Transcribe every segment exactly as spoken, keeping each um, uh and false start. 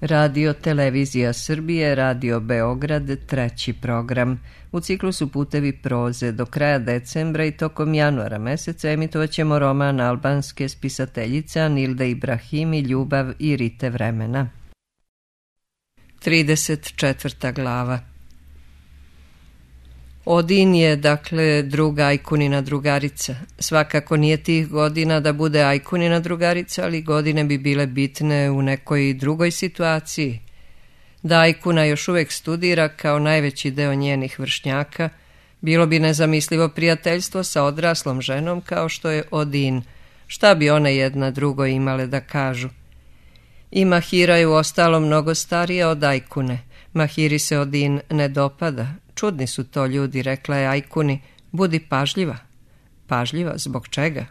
Radio Televizija Srbije, Radio Beograd, treći program. U ciklusu Putevi proze do kraja decembra i tokom januara meseca emitovat ćemo roman albanske spisateljice Anilde Ibrahimi Ljubav i rite vremena. trideset četvrta glava. Odin je, dakle, druga Ajkunina drugarica. Svakako nije tih godina da bude Ajkunina drugarica, ali godine bi bile bitne u nekoj drugoj situaciji. Da Ajkuna još uvek studira kao najveći deo njenih vršnjaka, bilo bi nezamislivo prijateljstvo sa odraslom ženom kao što je Odin. Šta bi one jedna drugoj imale da kažu? I Mahira je u ostalom mnogo starija od Ajkune. Mahiri se Odin ne dopada. Čudni su to ljudi, rekla je Ajkuni. Budi pažljiva. Pažljiva zbog čega?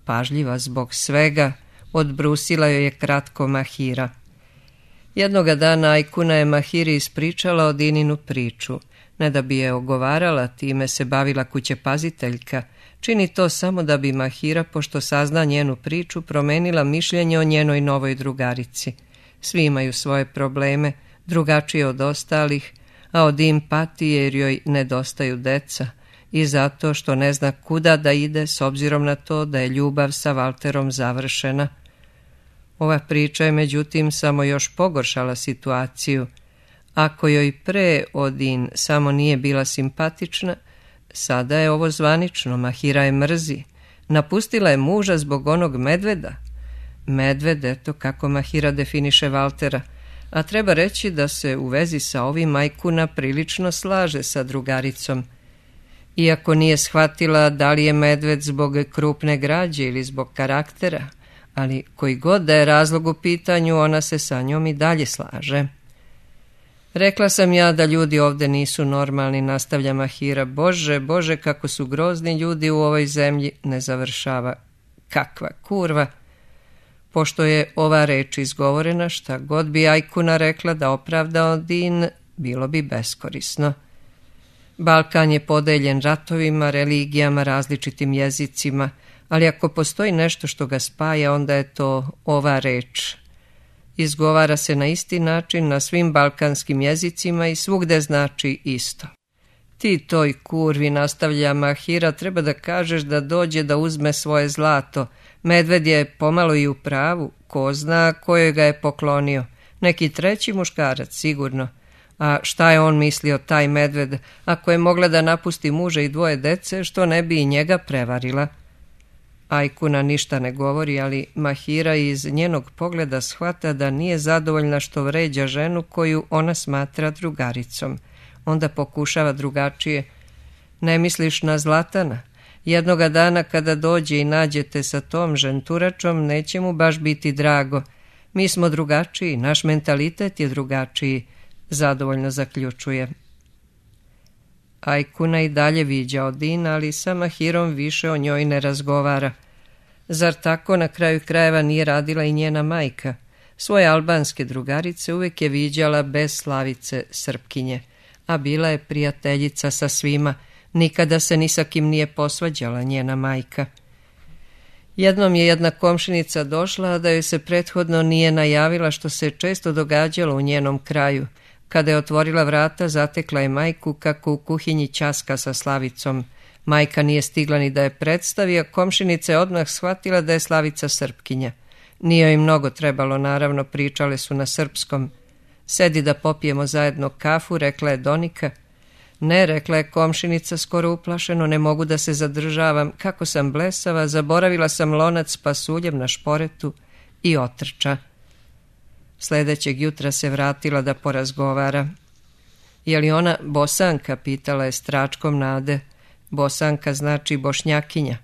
Pažljiva zbog svega, odbrusila joj je kratko Mahira. Jednoga dana Ajkuna je Mahiri ispričala Odininu priču. Ne da bi je ogovarala, time se bavila kućepaziteljka. Čini to samo da bi Mahira, pošto sazna njenu priču, promenila mišljenje o njenoj novoj drugarici. Svi imaju svoje probleme, drugačije od ostalih, a Odin pati jer joj nedostaju deca i zato što ne zna kuda da ide s obzirom na to da je ljubav sa Valterom završena. Ova priča je međutim samo još pogoršala situaciju. Ako joj pre Odin samo nije bila simpatična, sada je ovo zvanično, Mahira je mrzi. Napustila je muža zbog onog medveda. Medved, eto kako Mahira definiše Valtera. A treba reći da se u vezi sa ovim Ajkuna prilično slaže sa drugaricom. Iako nije shvatila da li je medved zbog krupne građe ili zbog karaktera, ali koji god da je razlog u pitanju, ona se sa njom i dalje slaže. Rekla sam ja da ljudi ovde nisu normalni, nastavlja Mahira. Bože, bože, kako su grozni ljudi u ovoj zemlji, ne završava. Kakva kurva! Pošto je ova reč izgovorena, šta god bi Ajkuna rekla da opravda Odin, bilo bi beskorisno. Balkan je podeljen ratovima, religijama, različitim jezicima, ali ako postoji nešto što ga spaja, onda je to ova reč. Izgovara se na isti način na svim balkanskim jezicima i svugde znači isto. Ti toj kurvi, nastavlja Mahira, treba da kažeš da dođe da uzme svoje zlato. Medved je pomalo i u pravu, ko zna kojoj ga je poklonio. Neki treći muškarac, sigurno. A šta je on mislio, taj medved, ako je mogla da napusti muža i dvoje dece, što ne bi i njega prevarila? Ajkuna ništa ne govori, ali Mahira iz njenog pogleda shvata da nije zadovoljna što vređa ženu koju ona smatra drugaricom. Onda pokušava drugačije. Ne misliš na Zlatana? Jednoga dana kada dođe i nađete sa tom ženturačom, neće mu baš biti drago. Mi smo drugačiji, naš mentalitet je drugačiji, zadovoljno zaključuje. Ajkuna i dalje viđa Odin, ali sa Mahirom više o njoj ne razgovara. Zar tako na kraju krajeva nije radila i njena majka? Svoje albanske drugarice uvijek je viđala bez Slavice Srpkinje, a bila je prijateljica sa svima. Nikada se ni sa kim nije posvađala njena majka. Jednom je jedna komšinica došla, a da joj se prethodno nije najavila, što se često događalo u njenom kraju. Kada je otvorila vrata, zatekla je majku kako u kuhinji ćaska sa Slavicom. Majka nije stigla ni da je predstavi, a komšinica je odmah shvatila da je Slavica Srpkinja. Nije joj mnogo trebalo, naravno, pričale su na srpskom. Sedi da popijemo zajedno kafu, rekla je Donika. Ne, rekla je komšinica skoro uplašeno, ne mogu da se zadržavam, kako sam blesava, zaboravila sam lonac s pasuljem na šporetu i otrča. Sljedećeg jutra se vratila da porazgovara. Je li ona Bosanka, pitala je s tračkom nade. Bosanka znači Bošnjakinja.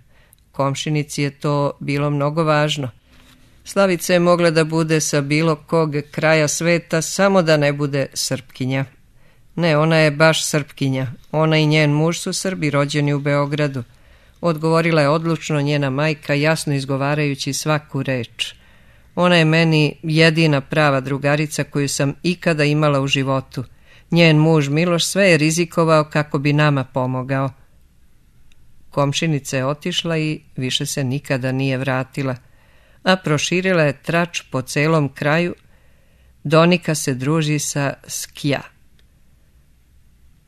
Komšinici je to bilo mnogo važno. Slavica je mogla da bude sa bilo kog kraja sveta, samo da ne bude Srpkinja. Ne, ona je baš Srpkinja. Ona i njen muž su Srbi, rođeni u Beogradu. Odgovorila je odlučno njena majka, jasno izgovarajući svaku reč. Ona je meni jedina prava drugarica koju sam ikada imala u životu. Njen muž Miloš sve je rizikovao kako bi nama pomogao. Komšinica je otišla i više se nikada nije vratila, a proširila je trač po celom kraju, Donika se druži sa Skja.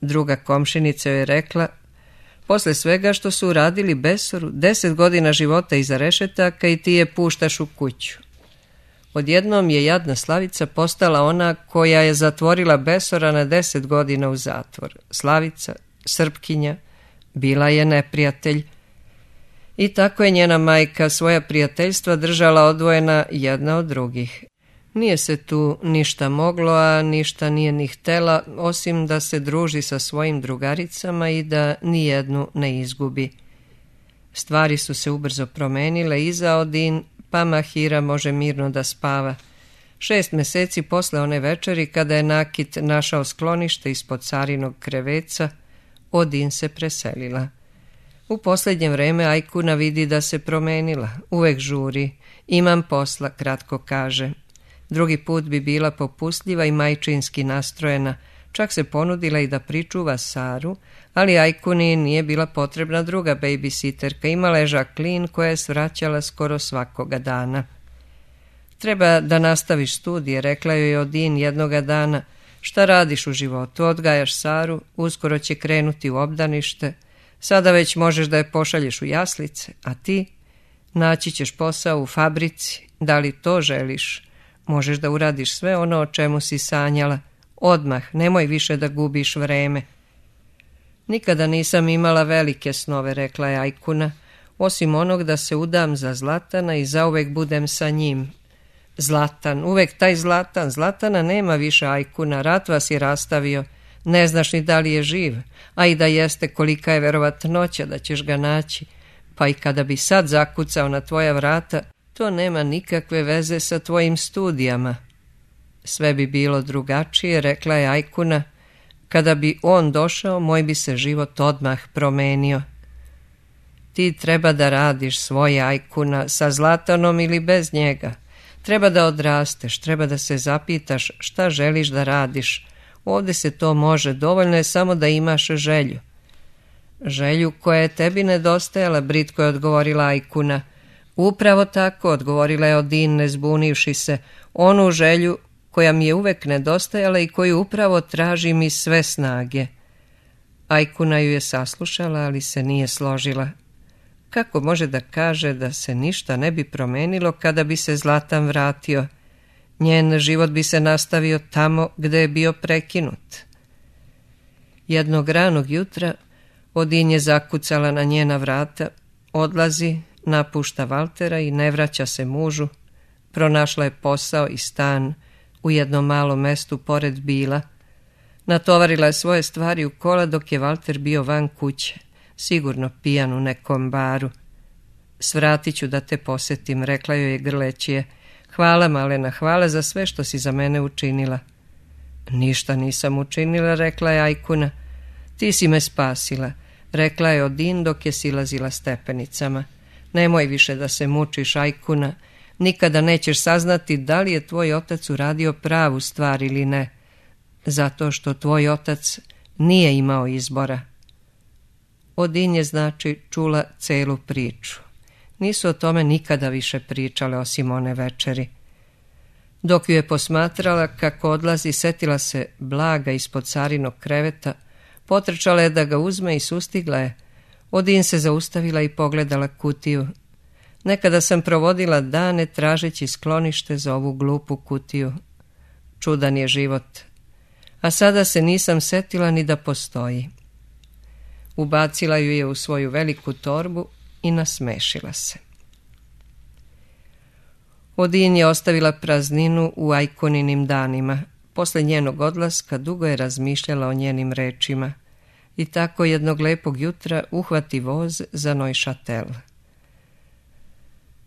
Druga komšinica joj je rekla: posle svega što su uradili Besoru, deset godina života iza rešetaka i ti je puštaš u kuću. Odjednom je jadna Slavica postala ona koja je zatvorila Besora na deset godina u zatvor. Slavica, Srpkinja, bila je neprijatelj. I tako je njena majka svoja prijateljstva držala odvojena jedna od drugih. Nije se tu ništa moglo, a ništa nije ni htela, osim da se druži sa svojim drugaricama i da nijednu ne izgubi. Stvari su se ubrzo promenile i za Odin, pa Mahira može mirno da spava. Šest meseci posle one večeri, kada je Nakit našao sklonište ispod carinog kreveca, Odin se preselila. U posljednje vreme Ajkuna vidi da se promenila, uvek žuri, imam posla, kratko kaže. Drugi put bi bila popustljiva i majčinski nastrojena, čak se ponudila i da pričuva Saru, ali Ajkuni nije bila potrebna druga babysitterka, imala je Žaklin koja je svraćala skoro svakoga dana. Treba da nastaviš studije, rekla joj Odin jednoga dana. Šta radiš u životu? Odgajaš Saru, uskoro će krenuti u obdanište, sada već možeš da je pošalješ u jaslice, a ti naći ćeš posao u fabrici, da li to želiš? Možeš da uradiš sve ono o čemu si sanjala. Odmah, nemoj više da gubiš vreme. Nikada nisam imala velike snove, rekla je Ajkuna, osim onog da se udam za Zlatana i zauvek budem sa njim. Zlatan, uvek taj Zlatan, Zlatana nema više, Ajkuna, rat vas je rastavio, ne znaš ni da li je živ, a i da jeste, kolika je verovatnoća da ćeš ga naći, pa i kada bi sad zakucao na tvoja vrata, to nema nikakve veze sa tvojim studijama. Sve bi bilo drugačije, rekla je Ajkuna, kada bi on došao, moj bi se život odmah promenio. Ti treba da radiš svoje, Ajkuna, sa Zlatanom ili bez njega. Treba da odrasteš, treba da se zapitaš šta želiš da radiš. Ovdje se to može, dovoljno je samo da imaš želju. Želju koja je tebi nedostajala, britko je odgovorila Ajkuna. Upravo tako, odgovorila je Odin, ne zbunivši se, onu želju koja mi je uvek nedostajala i koju upravo tražim iz sve snage. Ajkuna ju je saslušala, ali se nije složila. Kako može da kaže da se ništa ne bi promenilo kada bi se Zlatan vratio? Njen život bi se nastavio tamo gde je bio prekinut. Jednog ranog jutra Odin je zakucala na njena vrata, odlazi, napušta Valtera i ne vraća se mužu. Pronašla je posao i stan u jednom malom mestu pored Bila. Natovarila je svoje stvari u kola dok je Valter bio van kuće, sigurno pijan u nekom baru. Svratit ću da te posetim, rekla joj je grleći je. Hvala, Malena, hvala za sve što si za mene učinila. Ništa nisam učinila, rekla je Ajkuna. Ti si me spasila, rekla je Odin dok je silazila stepenicama. Nemoj više da se mučiš, Ajkuna, nikada nećeš saznati da li je tvoj otac uradio pravu stvar ili ne, zato što tvoj otac nije imao izbora. Odin je znači čula celu priču. Nisu o tome nikada više pričale osim one večeri. Dok ju je posmatrala kako odlazi, setila se blaga ispod carinog kreveta, potrčala je da ga uzme i sustigla je. Odin se zaustavila i pogledala kutiju. Nekada sam provodila dane tražeći sklonište za ovu glupu kutiju. Čudan je život. A sada se nisam setila ni da postoji. Ubacila ju je u svoju veliku torbu i nasmešila se. Odin je ostavila prazninu u Ajkuninim danima. Posle njenog odlaska dugo je razmišljala o njenim rečima. I tako jednog lepog jutra uhvati voz za Neuchâtel.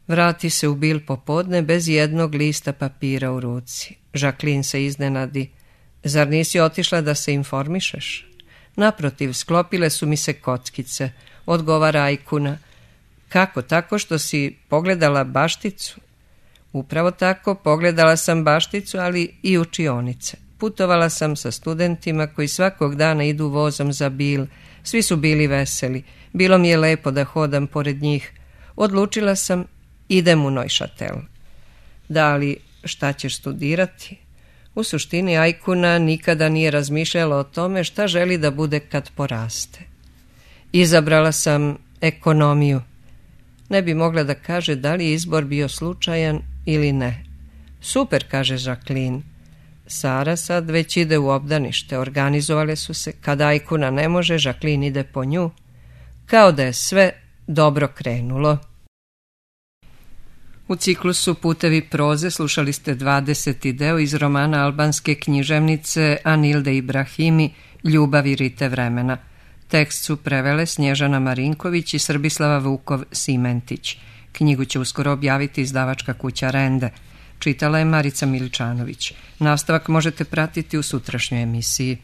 Vrati se u Bil popodne bez jednog lista papira u ruci. Žaklin se iznenadi. Zar nisi otišla da se informišeš? Naprotiv, sklopile su mi se kockice, odgovara Ajkuna. Kako, tako što si pogledala bašticu? Upravo tako, pogledala sam bašticu, ali i učionice. Putovala sam sa studentima koji svakog dana idu vozom za Bil. Svi su bili veseli. Bilo mi je lepo da hodam pored njih. Odlučila sam, idem u Neuchâtel. Da li šta ćeš studirati? U suštini Ajkuna nikada nije razmišljala o tome šta želi da bude kad poraste. Izabrala sam ekonomiju. Ne bi mogla da kaže da li je izbor bio slučajan ili ne. Super, kaže Jacqueline. Sara sad već ide u obdanište, organizovale su se. Kada Ajkuna ne može, Jacqueline ide po nju. Kao da je sve dobro krenulo. U ciklusu Putevi proze slušali ste dvadeseti deo iz romana albanske književnice Anilde Ibrahimi Ljubav i rite vremena. Tekst su prevele Snježana Marinković i Srbislava Vukov Simentić. Knjigu će uskoro objaviti izdavačka kuća Rende. Čitala je Marica Miličanović. Nastavak možete pratiti u sutrašnjoj emisiji.